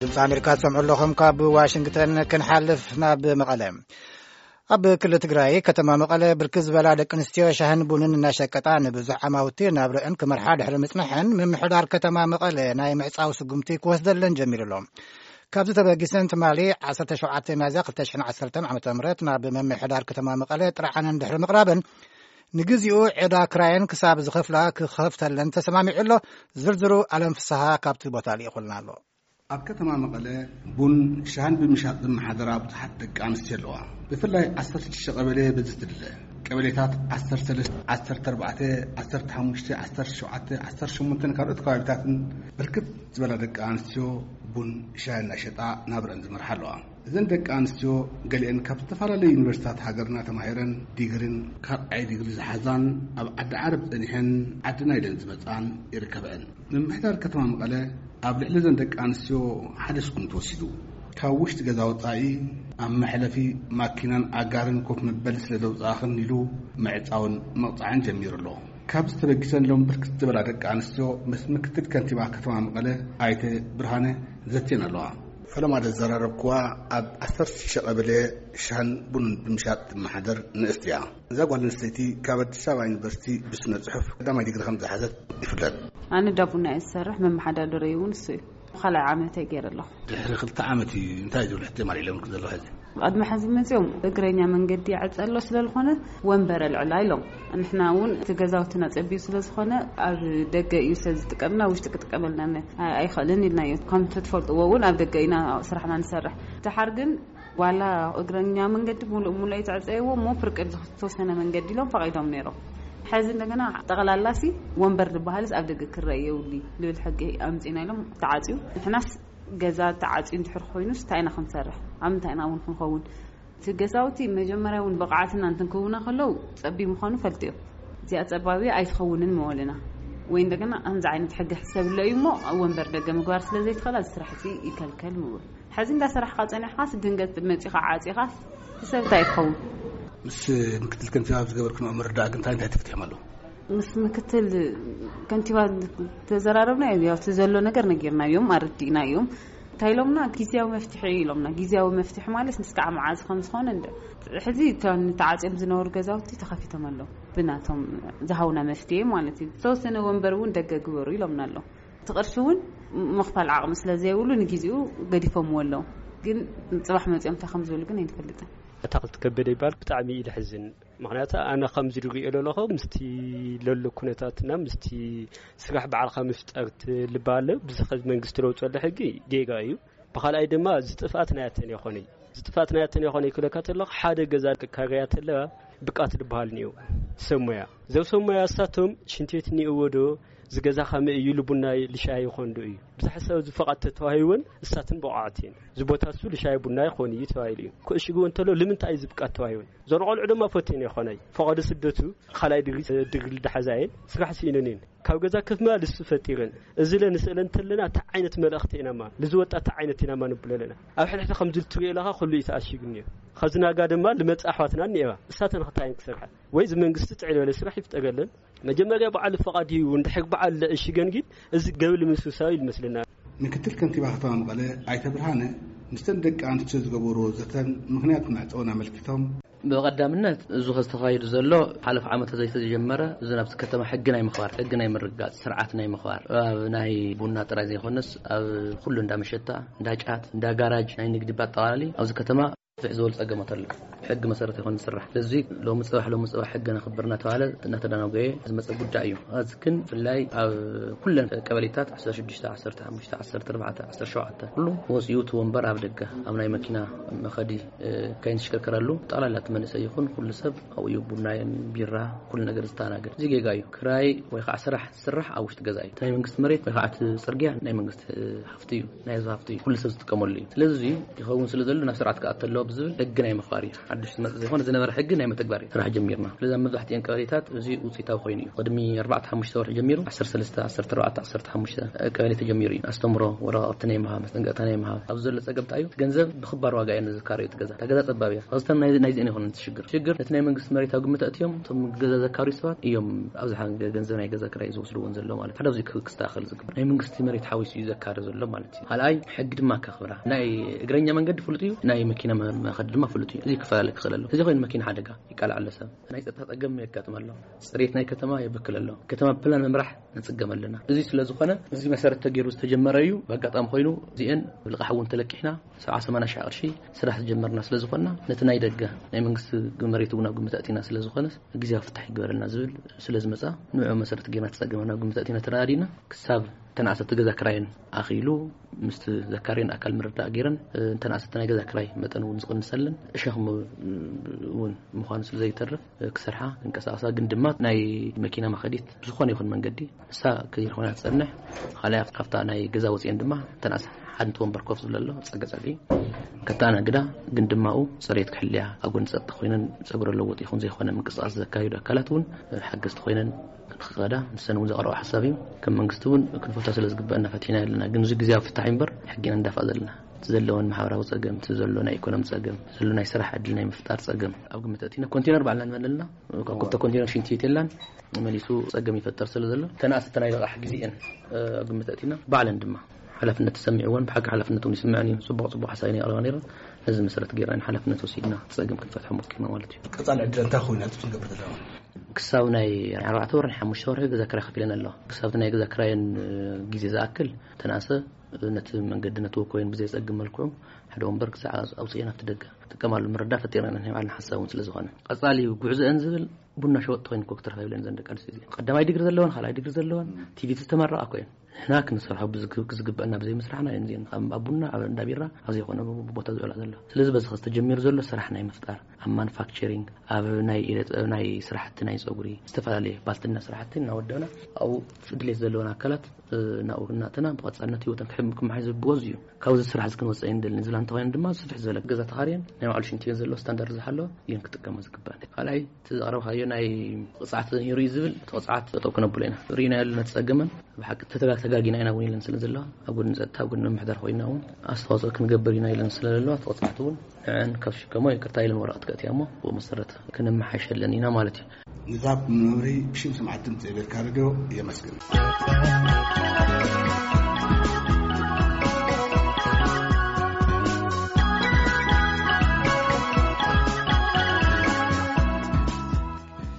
ድምፂ ኣሜሪካ ትሰምዑ ኣለኹም። ካብ ዋሽንግተን ክንሓልፍ ናብ መቐለ። ኣብ ክልል ትግራይ ከተማ መቐለ ብርክት ዝበላ ደቂ ኣንስትዮ ሻህን ቡንን እናሸቀጣ ንብዙሕ ዓማውቲ ናብረአን ክመርሓ ድሕሪ ምጽንሐን፣ ምምሕዳር ከተማ መቐለ ናይ ምዕጻው ስጉምቲ ክወስደለን ጀሚሩ ኣሎ። ካብዚ ተበጊሰን ትማሊ ዓሰርተ ሸውዓተ ሚያዝያ ክልተ ሽሕን ዓሰርተን ዓመተ ምህረት ናብ ምምሕዳር ከተማ መቐለ ጥርዓነን ድሕሪ ምቕራበን፣ ንግዚኡ ዕዳ ክራየን ክሳብ ዝኸፍላ ክኸፍተለን ተሰማሚዑ ኣሎ። ዝርዝሩ ኣለም ፍስሃ ካብቲ ቦታ ልኢኹልና ኣሎ። ኣብ ከተማ መቐለ ቡን ሻህን ብምሻጥ ዝመሓደራ ብዙሓት ደቂ ኣንስትዮ ኣለዋ። ብፍላይ ዓሰርተ ሽዱሽተ ቀበሌ በዚ ትድለ። ቀበሌታት ዓሰርተ ሰለስተ፣ ዓሰርተ ኣርባዕተ፣ ዓሰርተ ሓሙሽተ፣ ዓሰርተ ሸውዓተ፣ ዓሰርተ ሸሞንተን ካልኦት ከባቢታትን ብርክት ዝበላ ደቂ ኣንስትዮ ቡን ሻሂ እናሸጣ ናብረን ዝመርሓ ኣለዋ። እዘን ደቂ ኣንስትዮ ገሊአን ካብ ዝተፈላለዩ ዩኒቨርሲታት ሃገርና ተማሂረን ዲግሪን ካልኣይ ዲግሪ ዝሓዛን ኣብ ዓዲ ዓረብ ጸኒሐን ዓድና ኢለን ዝመጻን ይርከበአን። ምምሕዳር ከተማ መቐለ ኣብ ልዕሊ እዘን ደቂ ኣንስትዮ ሓደ ስጉምቲ ወሲዱ። ካብ ውሽጢ ገዛ ወጻኢ ኣብ መሕለፊ ማኪናን ኣጋርን ኮፍ መበሊ ስለ ዘውጻእኽን ኢሉ ምዕጻውን መቕጻዕን ጀሚሩ ኣሎ። ካብዚ ተበጊሰን ሎም ብርክት ዝበላ ደቂ ኣንስትዮ ምስ ምክትል ከንቲባ ከተማ መቐለ ኣይተ ብርሃነ ዘትየን ኣለዋ። ፈለማ ዘዘራረብክዋ ኣብ ዓሰርተ ሽዱሽተ ቀበሌ ሻህን ቡንን ብምሻጥ ትመሓደር ንእስቲ እያ። እዛ ጓል ኣንስተይቲ ካብ ኣዲስ ኣበባ ዩኒቨርሲቲ ብስነ ጽሑፍ ቀዳማይ ዲግሪ ከም ዝሓዘት ይፍለጥ። ኣነ ዳ ቡና እየ ዝሰርሕ፣ መመሓዳደረይ እውን እሱ እዩ። ካልኣይ ዓመተይ ገይረ ኣለኹ። ድሕሪ ክልተ ዓመት እዩ እንታይ ዝብል ሕቶ ማር ኢሎም ክዘለዉ ሕዚ? ቅድሚ ሕዚ መፅኦም እግረኛ መንገዲ ይዕፀ ኣሎ ስለ ዝኾነ ወንበር ኣልዕላ ኢሎም። ንሕና እውን እቲ ገዛውትና ፀቢዩ ስለ ዝኾነ ኣብ ደገ እዩ ስለ ዝጥቀምና ውሽጢ ክጥቀመልና ነ-፣ ኣይ-፣ ኣይኽእልን ኢልናዮ። ከም ትፈልጥዎ እውን ኣብ ደገ ኢና ስራሕና ንሰርሕ። ድሓር ግን ዋላ እግረኛ መንገዲ ሙሉእ ሙሉእ ኣይተዕፀይዎ እሞ ፍርቂ ዝተወሰነ መንገዲ ኢሎም ፈቒዶም ነይሮም። ሕዚ እንደገና ጠቕላላሲ ወንበር ዝበሃልስ ኣብ ደገ ክረአ የብሉ ልብል ሕጊ ኣምፂና ኢሎም ተዓፅዩ። ንሕናስ ገዛ ተዓፅዩ እንድሕር ኮይኑስ እንታይ ኢና ክንሰርሕ? ኣብ ምንታይ ኢና እውን ክንኸውን? እቲ ገዛውቲ መጀመርያ እውን ብቕዓትና እንትንክውና ከለዉ ጸቢብ ምዃኑ ፈልጥዮ። እዚኣ ጸባቢ ኣይትኸውንን ምበልና። ወይ እንደገና ከምዚ ዓይነት ሕጊ ሕሰብለ እዩ እሞ ኣብ ወንበር ደገ ምግባር ስለ ዘይትኽእል እዚ ስራሕ እዚ ይከልከል ምበሉ። ሕዚ እንዳሰራሕካ ጸኒሕካስ ድንገት መጺኻ ዓጺኻስ እቲ ሰብ እንታይ ትኸውን? ምስ ምክትል ከንቲባ ኣብ ዝገበርክንኦ ምርዳእ ግን እንታይ እንታይ ተፈቲሖም ኣለዉ? ምስ ምክትል ከንቲባ ተዘራረብና፣ ያው እቲ ዘሎ ነገር ነጊርናዮም፣ ኣረዲእናዮም። እንታይ ኢሎምና? ግዝያዊ መፍትሒ ኢሎምና። ግዝያዊ መፍትሒ ማለት እስካዕ መዓዝ ከም ዝኾነ እንደ-፣ ሕዚ እቶም ተዓፅዮም ዝነበሩ ገዛውቲ ተኸፊቶም ኣለዉ። ብናቶም ዝሃውና መፍትሒ ማለት እዩ። ዝተወሰነ ወንበር እውን ደገ ግበሩ ኢሎምና ኣለዉ። እቲ ቅርሺ እውን ምኽፋል ዓቕሚ ስለ ዘይብሉ ንግዜኡ ገዲፎምዎ ኣለዉ። ግን ፅባሕ መፂኦም እንታይ ከም ዝብሉ ግን ኣይንፈልጥን። ኣታኽልቲ ከበደ ይበሃል። ብጣዕሚ እዩ ዘሕዝን። ምኽንያቱ ኣነ ከምዚ ዝሪኦ ዘለኹ ምስቲ ለሎ ኩነታትና ምስቲ ስራሕ ባዕልኻ ምፍጣር ትልባለ ብዚ ኸዚ መንግስቲ ለውፀሉ ሕጊ ጌጋ እዩ። ብኻልኣይ ድማ ዝጥፍኣት ናያተን ይኾነ ዝጥፍኣት ናያተን ይኾነ ይክለካ ተለኹ ሓደ ገዛ ክካረያ ተለዋ ብቃት ዝበሃል እኒኦ ሰብ ሞያ ዘው ሰብ ሞያ እሳቶም ሽንት ቤት እኒእዎ ዶ ዝገዛ ከመይ እዩ ልቡና ልሻይ ይኾን ዶ እዩ ብዝሓሳብ ዝፈቓድ ተተዋሂወን እሳትን ብቑዓት እየን። እዚ ቦታ እሱ ልሻይ ቡና ይኾን እዩ ተባሂሉ እዩ ክእሽግዎ እንተሎ ልምንታይ እዩ ዝብቃት ተዋሂወን እዞን ቆልዑ ድማ ፈትየን ይኾነ ፈቐዶ ስደቱ ካልኣይ ድግሪ ድግሪ ልዳሓዛየን ስራሕ ስኢነን እየን ካብ ገዛ ከፍ ምባል እሱ ፈጢረን እዚ ለ ንስእለ እንተለና እታ ዓይነት መልእኽቲ ኢናማ ልዝወጣ እታ ዓይነት ኢናማ ንብሎ ኣለና ኣብ ሕድሕዲ ከም ዝልትሪኦ ኢለኻ ኩሉ እዩ ተኣሽግን እዩ ኸዚ ናጋ ድማ ልመጽእ ኣሕዋትና እኒኤዋ እሳተን ኽታይን ክሰርሓ ወይ እዚ መንግስቲ ጥዕል በለ ስራሕ ይፍጠረለን መጀመርያ በዓል ፈቓድ እዩ እንድሕር በዓል ለእሽገን ግን እዚ ገብል ምስውሳዊ ይመስለና ምክትል ከንቲባ ከተማ መቐለ ኣይተ ብርሃነ ምስተን ደቂ ኣንስትዮ ዝገበርዎ ዘተን ምኽንያት መዕፀውን ኣመልኪቶም ብቐዳምነት እዚ ዝተኻየዱ ዘሎ ሓለፍ ዓመት ዘይተጀመረ እዚ ናብቲ ከተማ ሕጊ ናይ ምኽባር ሕጊ ናይ ምርጋፅ ስርዓት ናይ ምኽባር ኣብ ናይ ቡና ጥራይ ዘይኮነስ ኣብ ኩሉ እንዳ መሸታ እንዳ ጫት እንዳ ጋራጅ ናይ ንግዲ ባጠቓላሊ ኣብዚ ከተማ ፍሕ ዝበሉ ፀገማት ኣሎ ሕጊ መሰረት ይኮን ዝስራሕ ስለዚ ሎሚ ፅባሕ ሎሚ ፅባሕ ሕጊ ነኽብር እናተባሃለ እናተዳናጎየ ዝመፀ ጉዳይ እዩ እዚ ግን ብፍላይ ኣብ ኩለን ቀበሌታት ዓሰርተ ሽዱሽተ ዓሰርተ ሓሙሽተ ዓሰርተ ኣርባዕተ ዓሰርተ ሸውዓተ ኩሉ ወፂኡ እቲ ወንበር ኣብ ደገ ኣብ ናይ መኪና መኸዲ ከይንሽከርከረሉ ጠቕላላ እቲ መንእሰይ ይኹን ኩሉ ሰብ ኣብኡ እዩ ቡናይን ቢራ ኩሉ ነገር ዝተኣናገድ እዚ ጌጋ እዩ ክራይ ወይ ከዓ ስራሕ ዝስራሕ ኣብ ውሽጢ ገዛ እዩ እቲ ናይ መንግስቲ መሬት ወይ ከዓ እቲ ፅርግያ ናይ መንግስቲ ሃፍቲ እዩ ናይ ህዝቢ ሃፍቲ እዩ ኩሉ ሰብ ዝጥቀመሉ እዩ ስለዚ ይኸውን ስለ ዘሎ ናብ ስርዓት ክኣተ ኣለዎ ብዝብል ሕጊ ናይ ምኽባር እዩ ሓዱሽ ዝመጽእ ዘይኮነ ዝነበረ ሕጊ ናይ መተግባር እዩ ስራሕ ጀሚርና። ስለዚ ኣብ መብዛሕትኤን ቀበሌታት እዚ ውፅኢታዊ ኮይኑ እዩ። ቅድሚ ኣርባዕተ ሓሙሽተ ወርሒ ጀሚሩ ዓሰርተ ሰለስተ፣ ዓሰርተ ኣርባዕተ፣ ዓሰርተ ሓሙሽተ ቀበሌ ተጀሚሩ እዩ። ኣስተምሮ፣ ወረቓቕቲ ናይ ምሃብ፣ መስጠንቀቕታ ናይ ምሃብ፣ ኣብዚ ዘሎ ጸገም እንታይ እዩ? እቲ ገንዘብ ብኽባር ዋጋ እየን ዝካረዩ እቲ ገዛ። እታ ገዛ ጸባብ እያ። ካብዚተን ናይ ናይዚአን ይኾነን እቲ ሽግር። ሽግር ነቲ ናይ መንግስቲ መሬት ኣብ ግምት ኣእትዮም እቶም ገዛ ዘካርዩ ሰባት እዮም ኣብዝሓ ገ- ገንዘብ ናይ ገዛ ክራይ ዝወስድዎን ዘሎ ማለት እዩ። ሓደ ኣብዚ ክስተኻኸል ዝግበር ናይ መንግስቲ መሬት ሓዊሱ እዩ ዘካሪ ዘሎ ማለት እዩ። ካልኣይ ሕጊ ድማ ከኽብራ። ናይ እግረኛ መንገዲ ፍሉጥ እዩ፣ ናይ መኪና መ- መኸዲ ድማ ፍሉጥ እዩ። እዚ ክፈላለ ክኽእል ኣለዎ። እዚ ኮይኑ መኪና ሓደጋ ይቃላዕ ኣሎ ሰብ። ናይ ጸጥታ ጸገም የጋጥም ኣሎ። ጽሬት ናይ ከተማ የበክል ኣሎ። ከተማ ብፕላን ምምራሕ ንጽገም ኣለና። እዚ ስለ ዝኾነ እዚ መሰረት ተገይሩ ዝተጀመረ እዩ። ብኣጋጣሚ ኮይኑ እዚአን ብልቓሕ እውን ተለቂሕና ሰብዓ ሰማንያ ሺሕ ቅርሺ ስራሕ ዝጀመርና ስለ ዝኾንና ነቲ ናይ ደገ ናይ መንግስቲ መሬት እውን ኣብ ግምት ኣእቲና ስለ ዝኾነ ግዜያዊ ፍታሕ ይግበረልና ዝብል ስለ ዝመጻ ንዑ መሰረት ገይርና ተጸገመና ኣብ ግምት ኣእቲና ተረዳዲና ክሳብ ተናእሰቲ ገዛ ክራየን ኣኽኢሉ ምስቲ ዘካርየን ኣካል ምርዳእ ገይረን እንተናእሰቲ ናይ ገዛ ክራይ መጠን እውን ዝቕንሰለን ሸኽሚ እውን ምዃኑ ስለ ዘይተርፍ ክሰርሓ ክንቀሳቐሳ ግን ድማ ናይ መኪና መኸዲት ዝኾነ ይኹን መንገዲ ንሳ ከይኾና ትጸንሕ። ካልኣይ ካብታ ናይ ገዛ ወፂአን ድማ ተናእሰ ሓንቲ ወንበር ኮፍ ዝብለ ኣሎ ጸገ ጸግዒ ከተኣናግዳ ግን ድማኡ ጽሬት ክሕልያ ኣብ ጎኒ ጸጥታ ኮይነን ጸጉረ ለውጥ ይኹን ዘይኮነ ምንቅስቃስ ዘካየዱ ኣካላት እውን ሓገዝቲ ኮይነን ንክኸዳ ንሰን እውን ዘቕረቡ ሓሳብ እዩ። ከም መንግስቲ እውን ክንፈቶ ስለ ዝግበአና ፈቲሕና ኣለና። ግን እዚ ግዜያዊ ፍታሕ እዩ እምበር ሕጊና እንዳፋ ዘለና እቲ ዘለወን ማሕበራዊ ጸገም እቲ ዘሎ ናይ ኢኮኖሚ ጸገም ዘሎ ናይ ስራሕ ዕድል ናይ ምፍጣር ጸገም ኣብ ግምት ኣእቲና ኮንቴነር ባዕልና ንመለልና ካብ ክልተ ኮንቴነር ሽንቲ ቤት የላን መሊሱ ጸገም ይፈጠር ስለ ዘሎ ተናእሰተ ናይ ልቓሕ ግዜአን ኣብ ግምት ኣእቲና ባዕለን ድማ ሓላፍነት ተሰሚዕዎን ብሓቂ ሓላፍነት እውን ይስምዐን እዩ። ጽቡቕ ጽቡቕ ሓሳብ ናይ ኣቕረባ ነይረን ነዚ መሰረት ገይርና ሓላፍነት ወሲድና ጸገም ክንፈትሖ ሞኪርና ማለት እዩ። ቀጻሊ ዕድል እንታይ ኮይኑ ኣቲ ክንገብር ዘለና ክሳብ ናይ ኣርባዕተ ወር ናይ ሓሙሽተ ወርሒ ገዛ ክራይ ከፊለን ኣለዋ። ክሳብቲ ናይ ገዛ ክራየን ግዜ ዝኣክል ተናእሰ ነቲ መንገዲ ነቲ ወኮይን ብዘይ ጸግም መልክዑ ሓደ ወንበር ክሳዕ ኣውፅኤን ኣብቲ ደገ ጥቀማሉ ምርዳ ፈጢረን ናይ ባዕልና ሓሳብ እውን ስለ ዝኾነ ቀጻሊ ጉዕዞአን ዝብል ቡና ሸወጥ ተኮይን ኮ ክትረፋ ይብለን ዘን ደቂ ኣንስትዮ እዚአን ቀዳማይ ዲግሪ ዘለወን ካልኣይ ዲግሪ ዘለወን ቲቪቲ ዝተመረቃ ኮይን ንሕና ክንሰርሖ ብዝግ- ክዝግበአና ብዘይ ምስራሕና እየን እዚአን ኣብ ኣብ ቡና ኣብ እንዳ ቢራ ኣብ ዘይኮነ ቦታ ዝውዕላ ዘሎ። ስለዚ በዚ ዝተጀሚሩ ዘሎ ስራሕ ናይ ምፍጣር ኣብ ማኑፋክቸሪንግ ኣብ ናይ ኢደ ጥበብ ናይ ስራሕቲ ናይ ፀጉሪ ዝተፈላለየ ባልትና ስራሕቲ እናወደብና ኣብኡ ድሌት ዘለወን ኣካላት ናብኡ እናእተና ብቐፃልነት ህይወተን ክሕም ክመሓይ ዝብዎ እዚ እዩ። ካብዚ ስራሕ እዚ ክንወፅእ ኣይንደልን ዝብላ እንተኮይነን ድማ ስፍሕ ዝበለ ገዛ ተኻርየን ናይ ባዕሉ ሽንቲ ቤት ዘለዎ ስታንዳርድ ዝሓለወ እየን ክጥቀማ ዝግባእ። ካልኣይ እቲ ዘቕረብካዮ ናይ ቅፅዓት ተዘይሩ እዩ ዝብል እቲ ቅፅዓት ጠጠው ክነብሎ ኢና። ርኢናዮ ኣለና ተፀገመን ብሓቂ ተተጋ- ተጋጊና ኢና እውን ኢለን ስለ ዘለዋ ኣብ ጎድኒ ፀጥታ ኣብ ጎድኒ ምምሕዳር ኮይና እውን ኣስተዋፅኦ ክንገብር ኢና ኢለን ስለ ዘለዋ እቲ ቅፅዓት እውን ንዐን ካብ ሽከሞ ይቅርታ ኢለን ወረቐት ከእትያ እሞ ብኡ መሰረት ክነመሓይሸለን ኢና ማለት እዩ። ንዛብ መምሪ ብሽም ሰማዕቲ ድምፂ ኣሜሪካ ሬድዮ የመስግን።